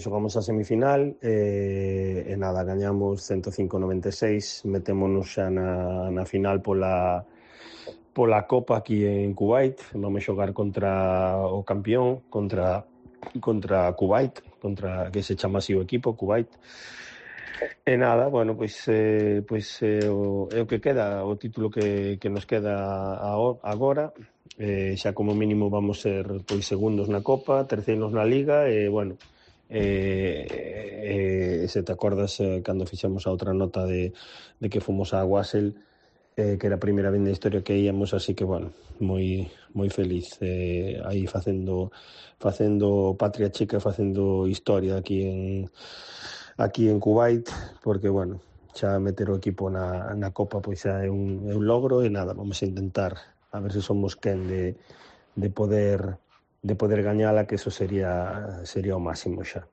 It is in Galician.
Xogamos a semifinal e nada, gañamos 105-96, metémonos xa na final pola Copa aquí en Kuwait. Vamos xogar contra o campeón, contra Kuwait, que se chama así o equipo, Kuwait. E nada, bueno, pois é o que queda, o título que nos queda agora. Xa como mínimo vamos ser pois segundos na Copa, terceiros na Liga e, bueno, se te acordas cando fixemos a outra nota de que fomos a Wasel, que era a primeira vez na historia que íamos, así que, bueno, moi feliz aí facendo patria chica, facendo historia aquí en Kuwait, porque, bueno, xa meter o equipo na Copa pois xa é un logro e nada, vamos a intentar a ver se somos quen de poder gañala, que eso sería o máximo xa.